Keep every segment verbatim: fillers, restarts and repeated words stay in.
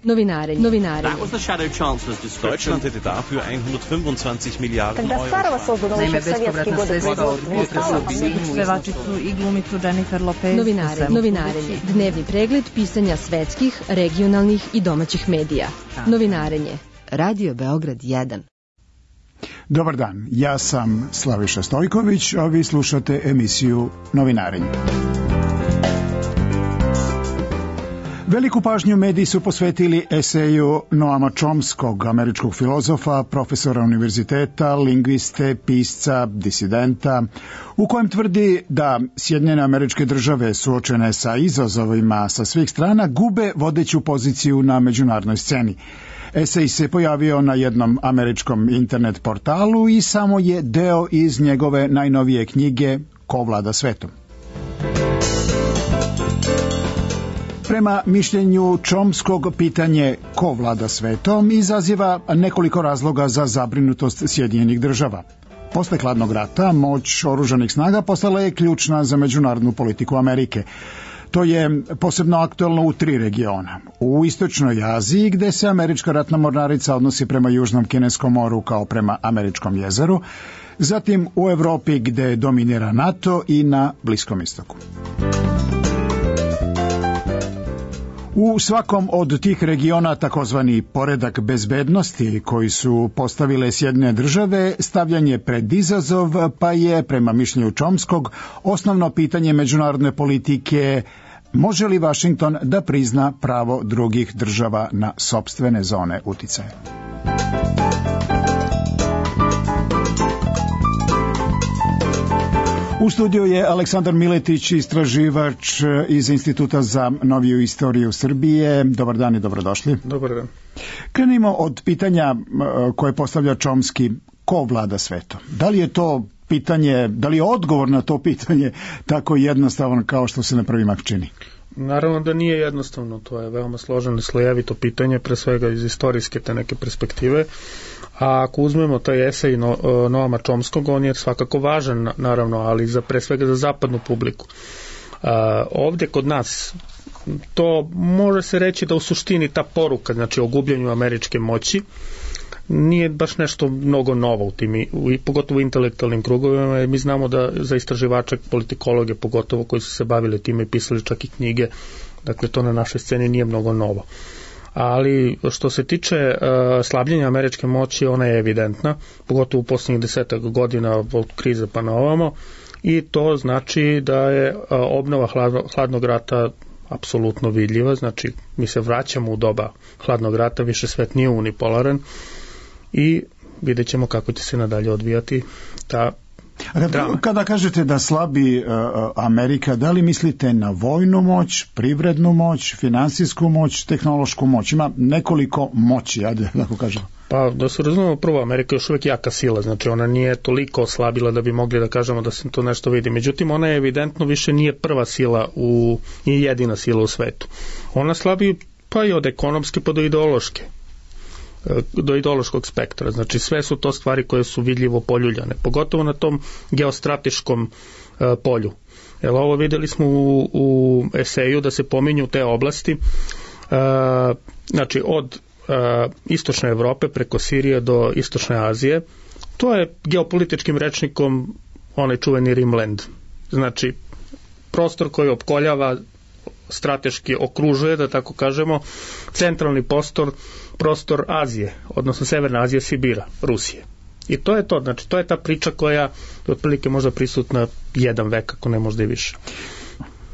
Novinarenje. Novinarenje. That was the Shadow Chancellor's description. Deutschland hätte dafür hundertfünfundzwanzig Milliarden Euro. Naime, bespovratna sredstva od pevačicu i glumicu Jennifer Lopez. Novinarenje. Novinarenje. Dnevni pregled pisanja svetskih, regionalnih i domaćih medija. Novinarenje. Radio Beograd jedan. Dobar dan, ja sam Slaviša Stojković, a vi slušate emisiju Novinarenje. Veliku pažnju mediji su posvetili eseju Noama Chomskog, američkog filozofa, profesora univerziteta, lingviste, pisca, disidenta, u kojem tvrdi da Sjedinjene Američke Države suočene sa izazovima sa svih strana gube vodeću poziciju na međunarodnoj sceni. Esej se pojavio na jednom američkom internet portalu i samo je deo iz njegove najnovije knjige Ko vlada svetom. Prema mišljenju Chomskog, pitanje ko vlada svetom izaziva nekoliko razloga za zabrinutost Sjedinjenih Država. Posle hladnog rata, moć oružanih snaga postala je ključna za međunarodnu politiku Amerike. To je posebno aktuelno u tri regiona. U istočnoj Aziji, gde se američka ratna mornarica odnosi prema Južnom Kineskom moru kao prema Američkom jezeru, zatim u Evropi gde dominira NATO i na Bliskom istoku. U svakom od tih regiona takozvani poredak bezbednosti koji su postavile Sjedinjene Države stavljan je pred izazov, pa je, prema mišljenju Chomskog, osnovno pitanje međunarodne politike može li Vašington da prizna pravo drugih država na sopstvene zone uticaja. U studiju je Aleksandar Miletić, istraživač iz Instituta za noviju istoriju Srbije. Dobar dan i dobrodošli. Dobar dan. Krenimo od pitanja koje postavlja Chomski, ko vlada svetom? Da li je to pitanje, da li je odgovor na to pitanje tako jednostavan kao što se na prvi mah čini? Naravno da nije jednostavno, to je veoma složeno i slojevito pitanje, pre svega iz istorijske te neke perspektive. A ako uzmemo taj esej no, Noama Chomskog, on je svakako važan, naravno, ali za, pre svega za zapadnu publiku. A, ovdje kod nas, to može se reći da u suštini ta poruka, znači o gubljenju američke moći, nije baš nešto mnogo novo u tim, u, pogotovo u intelektualnim krugovima, jer mi znamo da za istraživače, politikologe, pogotovo koji su se bavili time i pisali čak i knjige, dakle to na našoj sceni nije mnogo novo. Ali što se tiče uh, slabljenja američke moći, ona je evidentna, pogotovo u posljednjih desetak godina od krize pa na ovamo, i to znači da je uh, obnova hladno, hladnog rata apsolutno vidljiva, znači mi se vraćamo u doba hladnog rata, više svet nije unipolaran i vidjet ćemo kako će se nadalje odvijati ta drama. Kada kažete da slabi uh, Amerika, da li mislite na vojnu moć, privrednu moć, finansijsku moć, tehnološku moć? Ima nekoliko moći, ajde, tako kažemo. Pa da se razumemo, prvo, Amerika je još uvijek jaka sila, znači ona nije toliko oslabila da bi mogli da kažemo da se to nešto vidi. Međutim, ona je evidentno više nije prva sila, u, nije jedina sila u svetu. Ona slabi pa i od ekonomske pa do ideološke. do ideološkog spektra. Znači sve su to stvari koje su vidljivo poljuljane, pogotovo na tom geostrateškom uh, polju. Jer ovo videli smo u, u eseju da se pominju te oblasti, uh, znači od uh, istočne Evrope preko Sirije do istočne Azije. To je geopolitičkim rečnikom onaj čuveni Rimland. Znači prostor koji opkoljava, strateški okružuje, da tako kažemo, centralni prostor, prostor Azije, odnosno Severna Azija, Sibira, Rusije. I to je to, znači to je ta priča koja je otprilike možda prisutna jedan vek, ako ne možda i više.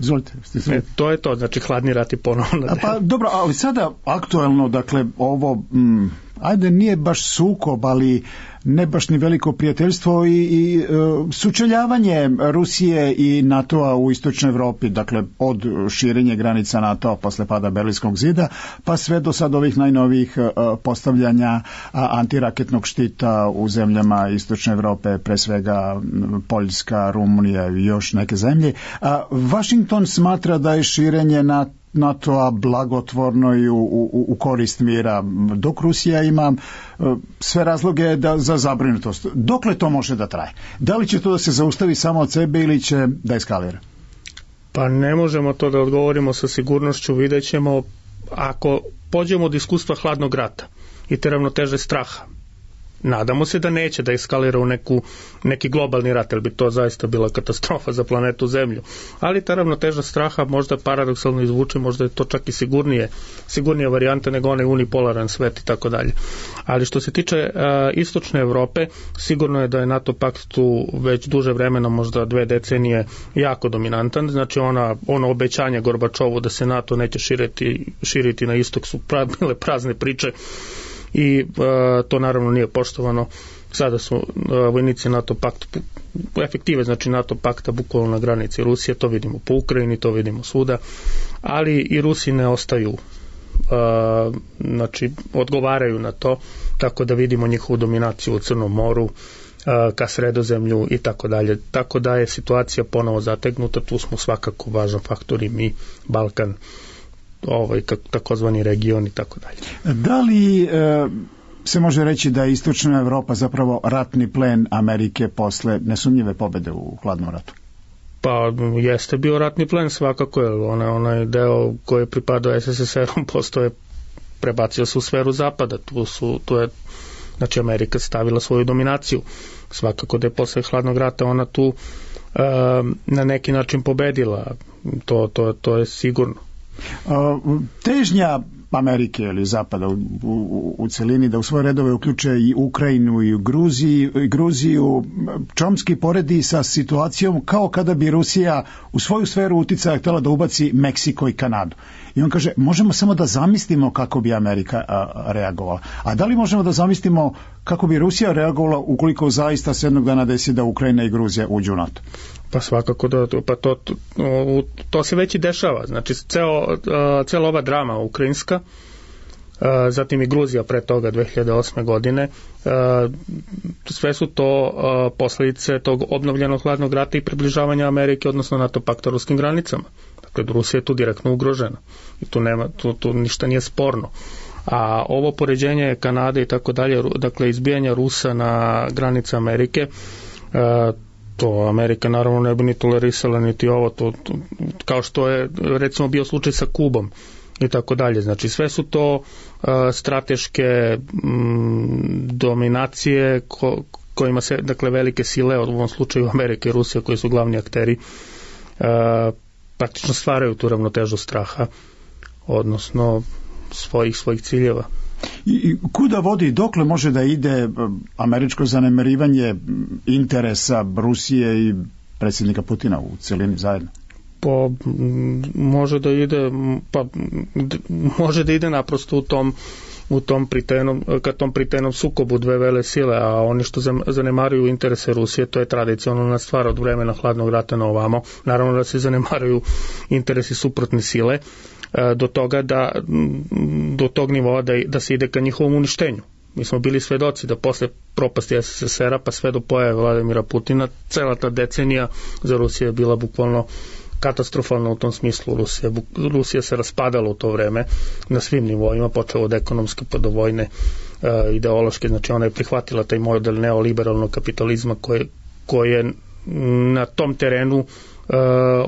Izvolite. E, to je to, znači hladni rat i ponovno. A pa dobro, ali sada aktuelno, dakle, ovo, mm, ajde, nije baš sukob, ali ne baš ni veliko prijateljstvo i, i uh, sučeljavanje Rusije i NATO-a u istočnoj Evropi, dakle od širenja granica NATO-a posle pada Berlinskog zida, pa sve do sad ovih najnovijih uh, postavljanja uh, antiraketnog štita u zemljama istočne Evrope, pre svega um, Poljska, Rumunija i još neke zemlje. Uh, Washington smatra da je širenje NATO NATO-a blagotvorno i u, u, u korist mira, dok Rusija ima uh, sve razloge da, za zabrinutost. Dokle to može da traje? Da li će to da se zaustavi samo od sebe ili će da eskalira? Pa ne možemo to da odgovorimo sa sigurnošću, vidjet ćemo. ako pođemo od iskustva hladnog rata i te ravnoteže straha, nadamo se da neće da eskalira u neku, neki globalni rat, jer bi to zaista bila katastrofa za planetu Zemlju. Ali ta ravnoteža straha možda paradoksalno izvuče, možda je to čak i sigurnije, sigurnija varijanta nego onaj unipolaran svet i tako dalje. Ali što se tiče uh, istočne Evrope, sigurno je da je NATO pakt tu već duže vremena, možda dve decenije, jako dominantan. Znači ona, ono obećanje Gorbačovu da se NATO neće širiti, širiti na istok su pra, bile prazne priče i uh, to naravno nije poštovano. Sada su uh, vojnici NATO pakta efektive, znači NATO pakta bukvalno na granici Rusije, to vidimo po Ukrajini, to vidimo svuda, ali i Rusi ne ostaju, uh, znači odgovaraju na to, tako da vidimo njihovu dominaciju u Crnom moru, uh, ka Sredozemlju i tako dalje. Tako da je situacija ponovo zategnuta, tu smo svakako važan faktor i mi, Balkan, ovaj takozvani region i tako dalje. Da li e, se može reći da je istočna Evropa zapravo ratni plen Amerike posle nesumnjive pobede u hladnom ratu? Pa jeste bio ratni plen svakako, jer onaj, onaj deo koji je pripadao es es es er-om postoje, prebacio se u sferu zapada, tu, su, tu je znači Amerika stavila svoju dominaciju. Svakako da je posle hladnog rata ona tu e, na neki način pobedila, to, to, to je sigurno. Težnja Amerike ili Zapada u, u, u celini da u svoje redove uključe i Ukrajinu i Gruziju, i Gruziju Čomski poredi sa situacijom kao kada bi Rusija u svoju sferu uticaja htjela da ubaci Meksiko i Kanadu. I on kaže, možemo samo da zamislimo kako bi Amerika a, reagovala. A da li možemo da zamislimo kako bi Rusija reagovala ukoliko zaista se jednog dana desi da Ukrajina i Gruzija uđu u NATO? Pa svakako da, pa to, to, to se već i dešava. Znači, ceo, cela ova drama ukrajinska, zatim i Gruzija pre toga dve hiljade osme godine, sve su to posledice tog obnovljenog hladnog rata i približavanja Amerike, odnosno NATO pakta ruskim granicama. Dakle, Rusija je tu direktno ugrožena i tu, nema, tu, tu ništa nije sporno. A ovo poređenje Kanade i tako dalje, dakle, izbijanja Rusa na granice Amerike, to Amerika naravno ne bi ni tolerisala niti ovo, to, to, kao što je recimo bio slučaj sa Kubom i tako dalje. Znači sve su to uh, strateške mm, dominacije ko, kojima se, dakle, velike sile, u ovom slučaju Amerika i Rusija, koji su glavni akteri, uh, praktično stvaraju tu ravnotežu straha, odnosno svojih svojih ciljeva. I kuda vodi, dokle može da ide američko zanemarivanje interesa Rusije i predsjednika Putina u celini zajedno? Pa može da ide, pa može da ide naprosto u tom u tom pritenom, ka tom pritenom sukobu dve vele sile, a oni što zanemaruju interese Rusije, to je tradicionalna stvar od vremena hladnog rata na ovamo. Naravno da se zanemaruju interesi suprotne sile, do toga da do tog nivoa da, da se ide ka njihovom uništenju. Mi smo bili svedoci da posle propasti es es es era pa sve do pojave Vladimira Putina, cela ta decenija za Rusiju je bila bukvalno katastrofalna u tom smislu. Rusija, Rusija se raspadala u to vreme na svim nivoima, počeo od ekonomske pa do vojne, uh, ideološke, znači ona je prihvatila taj model neoliberalnog kapitalizma koje, koje na tom terenu Uh,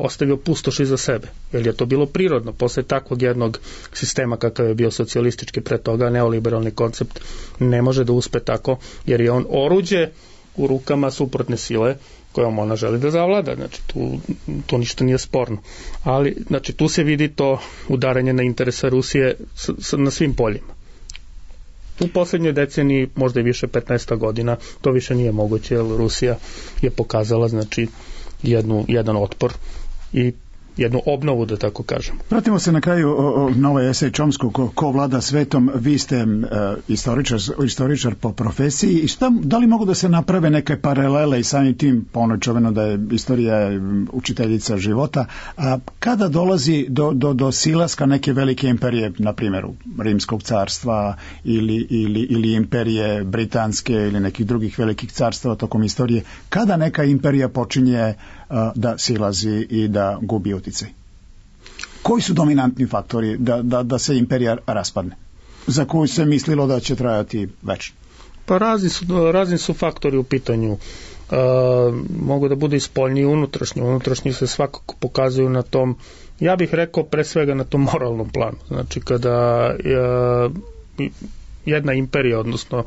ostavio pustoš iza sebe, jer je to bilo prirodno. Posle takvog jednog sistema kakav je bio socijalistički pre toga, neoliberalni koncept ne može da uspe tako, jer je on oruđe u rukama suprotne sile kojom ona želi da zavlada. Znači tu, tu ništa nije sporno. Ali znači, tu se vidi to udaranje na interesa Rusije s, s, na svim poljima. U poslednjoj deceniji, možda i više petnaest godina, to više nije moguće, jer Rusija je pokazala, znači, jednu, jedan otpor i jednu obnovu, da tako kažem. Vratimo se na kraju o, o, na ovaj esej Čomskog, ko, ko vlada svetom. Vi ste e, istoričar, istoričar po profesiji i šta, da li mogu da se naprave neke paralele i samim tim, po onoj čuveno da je istorija učiteljica života, a kada dolazi do, do, do silaska neke velike imperije, na primjer Rimskog carstva ili, ili, ili imperije britanske ili nekih drugih velikih carstava tokom istorije, kada neka imperija počinje da silazi i da gubi uticaj? Koji su dominantni faktori da, da, da se imperija raspadne, za koju se mislilo da će trajati večno? Pa razni su, razni su faktori u pitanju. E, mogu da bude i spoljni i unutrašnji. Unutrašnji se svakako pokazuju na tom Ja bih rekao pre svega na tom moralnom planu. Znači kada e, jedna imperija, odnosno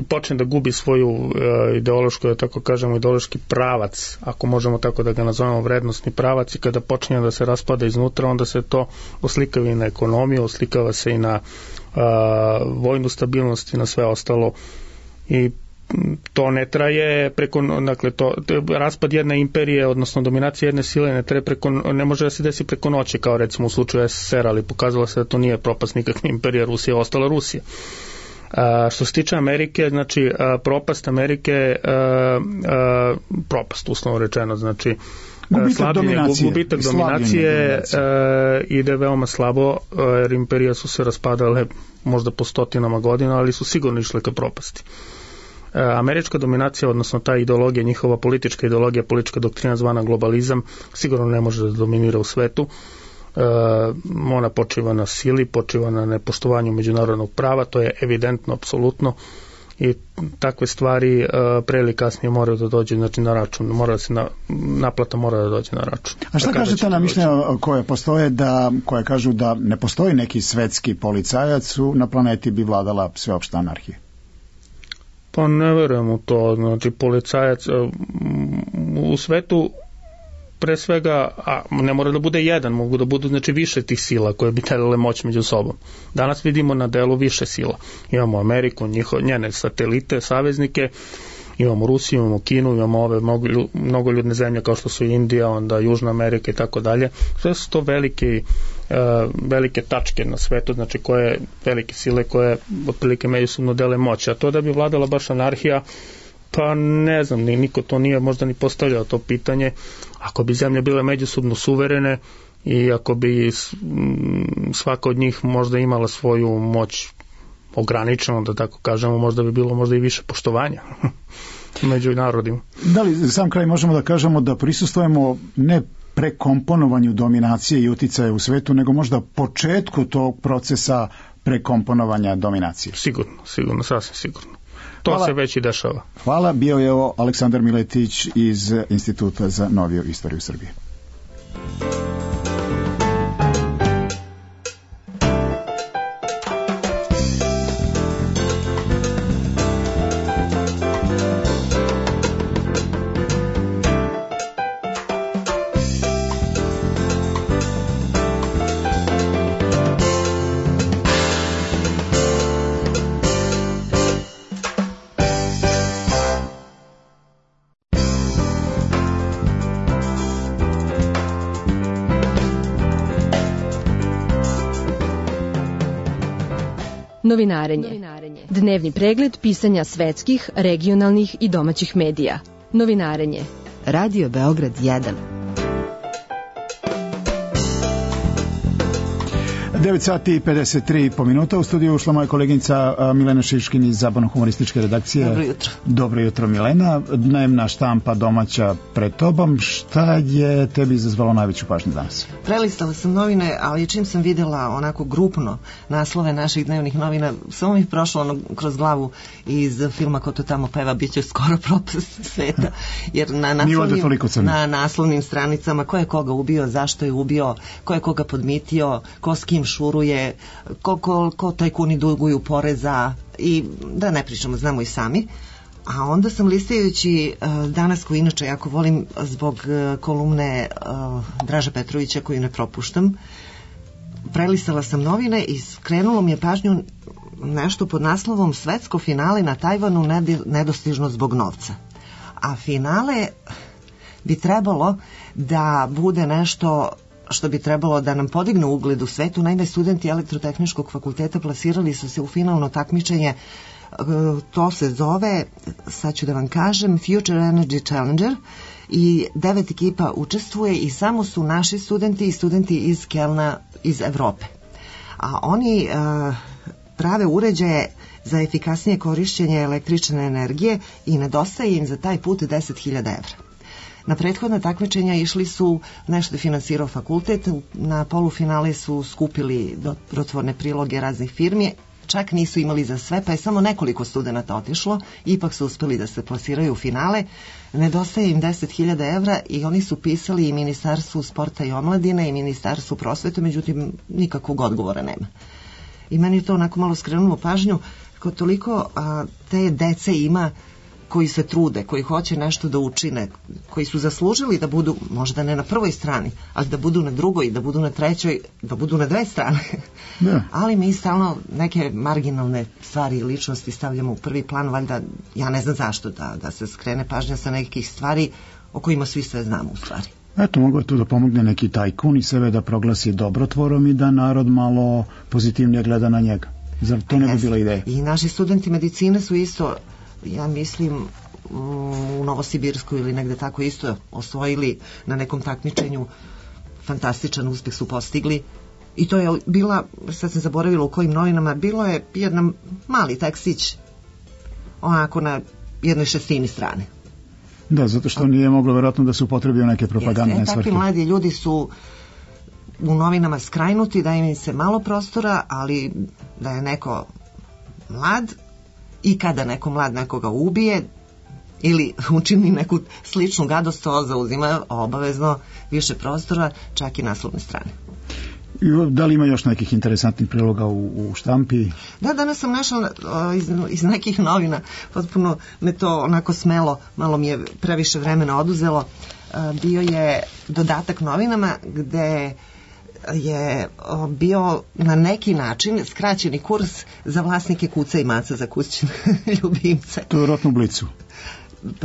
počne da gubi svoju e, ideološku, da tako kažemo, ideološki pravac, ako možemo tako da ga nazovemo vrednostni pravac, i kada počne da se raspada iznutra, onda se to oslikava i na ekonomiju, oslikava se i na a, vojnu stabilnost i na sve ostalo, i to ne traje preko, dakle, to, raspad jedne imperije, odnosno dominacija jedne sile ne traje preko, ne može da se desi preko noći, kao recimo u slučaju es es er, ali pokazalo se da to nije propast nikakve imperije, Rusija je ostala Rusija. A, što se tiče Amerike, znači a, propast Amerike, a, a, propast uslovno rečeno, znači gubitak slabljenje, dominacije, gubitak dominacije a, ide veoma slabo, a, jer imperije su se raspadale možda po stotinama godina, ali su sigurno išle ka propasti. A, američka dominacija, odnosno ta ideologija, njihova politička ideologija, politička doktrina zvana globalizam, sigurno ne može da dominira u svetu. Uh, ona počiva na sili, počiva na nepoštovanju međunarodnog prava, to je evidentno, apsolutno, i takve stvari uh, pre ili kasnije moraju da dođe, znači, na račun, mora da se na, naplata mora da dođe na račun. A šta kažete na mišljenja koje postoje, da, koje kažu da ne postoji neki svetski policajac, na planeti bi vladala sveopšta anarhija? Pa ne verujem u to, znači policajac uh, u svetu pre svega, a ne mora da bude jedan, mogu da budu, znači, više tih sila koje bi delile moć među sobom. Danas vidimo na delu više sila. Imamo Ameriku, njiho, njene satelite, saveznike, imamo Rusiju, imamo Kinu, imamo ove mnogo, mnogo ljudne zemlje kao što su Indija, onda Južna Amerika i tako dalje. Sve su to velike, uh, velike tačke na svetu, znači koje velike sile koje otprilike međusobno dele moć. A to da bi vladala baš anarhija, pa ne znam, niko to nije možda ni postavljao to pitanje. Ako bi zemlje bile međusobno suverene i ako bi svaka od njih možda imala svoju moć ograničeno, da tako kažemo, možda bi bilo možda i više poštovanja među narodima. Da li za sam kraj možemo da kažemo da prisustvujemo ne prekomponovanju dominacije i uticaja u svetu, nego možda početku tog procesa prekomponovanja dominacije? Sigurno, sigurno, sasvim sigurno. To Hvala. Se već i dešava. Hvala, bio je ovo Aleksandar Miletić iz Instituta za noviju istoriju Srbije. Novinarenje. Dnevni pregled pisanja svetskih, regionalnih i domaćih medija. Novinarenje. Radio Beograd jedan. devet sati i pedeset tri po minuta. U studiju ušla moja koleginica Milena Šiškin iz Zabavno-humorističke redakcije. Dobro jutro. Dobro jutro, Milena. Dnevna štampa domaća pred tobom. Šta je tebi izazvalo najveću pažnju danas? Prelistala sam novine, ali čim sam videla onako grupno naslove naših dnevnih novina, samo mi je prošlo ono kroz glavu iz filma Ko to tamo peva, bit će skoro propast sveta. Jer na naslovnim, na naslovnim stranicama ko je koga ubio, zašto je ubio, ko je koga podmitio, ko s kim šuruje, ko, ko, ko tajkuni duguju poreza, i da ne pričamo, znamo i sami. A onda sam listajući uh, danas, koji inače jako volim zbog uh, kolumne uh, Draža Petrovića koju ne propuštam, prelistala sam novine i skrenulo mi je pažnju nešto pod naslovom Svetsko finale na Tajvanu nedostižno zbog novca. A finale bi trebalo da bude nešto što bi trebalo da nam podigne ugled u svetu. Naime, studenti Elektrotehničkog fakulteta plasirali su se u finalno takmičenje. To se zove, sad ću da vam kažem, Future Energy Challenger, i devet ekipa učestvuje i samo su naši studenti i studenti iz Kelna, iz Evrope. A oni uh, prave uređaje za efikasnije korišćenje električne energije i nedostaje im za taj put deset hiljada evra. Na prethodna takmičenja išli su, nešto je finansirao fakultet, na polufinale su skupili dobrotvorne priloge raznih firmi, čak nisu imali za sve, pa je samo nekoliko studenata otišlo, ipak su uspeli da se plasiraju u finale. Nedostaje im deset hiljada evra i oni su pisali i Ministarstvu sporta i omladine i Ministarstvu prosvete, međutim nikakvog odgovora nema. I meni je to onako malo skrenulo pažnju, kao toliko a, te dece ima koji se trude, koji hoće nešto da učine, koji su zaslužili da budu, možda ne na prvoj strani, ali da budu na drugoj, da budu na trećoj, da budu na dve strane. Ne. Ali mi stalno neke marginalne stvari i ličnosti stavljamo u prvi plan, valjda, ja ne znam zašto, da, da se skrene pažnja sa nekih stvari o kojima svi sve znamo u stvari. Eto, mogu je tu da pomogne neki tajkun i sebe da proglasi dobrotvorom i da narod malo pozitivnije gleda na njega. Zar to ne bi bila ideja? I naši studenti medicine su isto, ja mislim, u Novosibirsku ili negde tako isto osvojili na nekom takmičenju, fantastičan uspeh su postigli. I to je bila, sad sam zaboravila u kojim novinama, bilo je jedan mali tekstić onako na jednoj šestini strane. Da, zato što nije moglo verovatno da se upotrebio neke propagandne svrhe. Takvi mladi ljudi su u novinama skrajnuti, da im se malo prostora, ali da je neko mlad i kada neko mlad nekoga ubije ili učini neku sličnu gadost, to zauzima obavezno više prostora, čak i naslovne strane. Da li ima još nekih interesantnih priloga u, u štampi? Da, danas sam našla iz, iz nekih novina, potpuno me to onako smelo, malo mi je previše vremena oduzelo. Bio je dodatak novinama gde je bio na neki način skraćeni kurs za vlasnike kuca i maca za kućne ljubimce. To je vjerojatno u Blicu.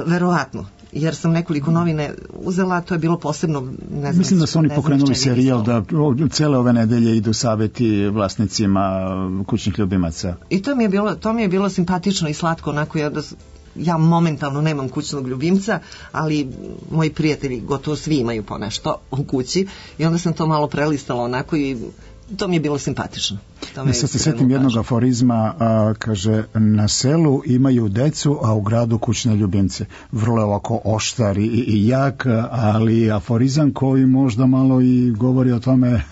Verovatno, jer sam nekoliko novine uzela, to je bilo posebno, ne znam. Mislim da su oni pokrenuli serijal da cele ove nedelje idu saveti vlasnicima kućnih ljubimaca. I to mi je bilo, to mi je bilo simpatično i slatko, onako ja, da, ja momentalno nemam kućnog ljubimca, ali moji prijatelji gotovo svi imaju po nešto u kući i onda sam to malo prelistala onako i to mi je bilo simpatično. Ja sad se sjetim jednog aforizma, a, kaže, na selu imaju decu, a u gradu kućne ljubimce. Vrlo je ovako oštar i, i jak, ali aforizam koji možda malo i govori o tome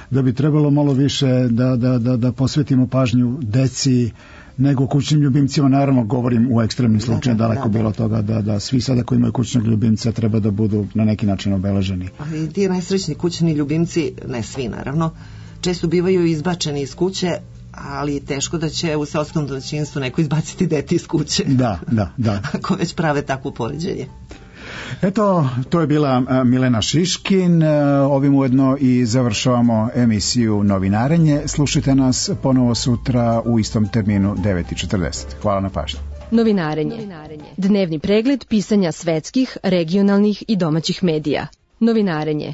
da bi trebalo malo više da, da, da, da posvetimo pažnju deci nego kućnim ljubimcima. Naravno, govorim u ekstremnim slučajima, daleko da, da, bilo toga da, da svi sada koji imaju kućnog ljubimca treba da budu na neki način obeleženi. Ali ti najsrećni kućni ljubimci, ne svi naravno, često bivaju izbačeni iz kuće, ali teško da će u seoskom domaćinstvu neko izbaciti dete iz kuće. Da, da, da. Ako već prave takvo poređenje. Eto, to je bila Milena Šiškin. Ovim ujedno i završavamo emisiju Novinarenje. Slušajte nas ponovo sutra u istom terminu devet i četrdeset. Hvala na pažnji. Novinarenje. Dnevni pregled pisanja svetskih, regionalnih i domaćih medija. Novinarenje.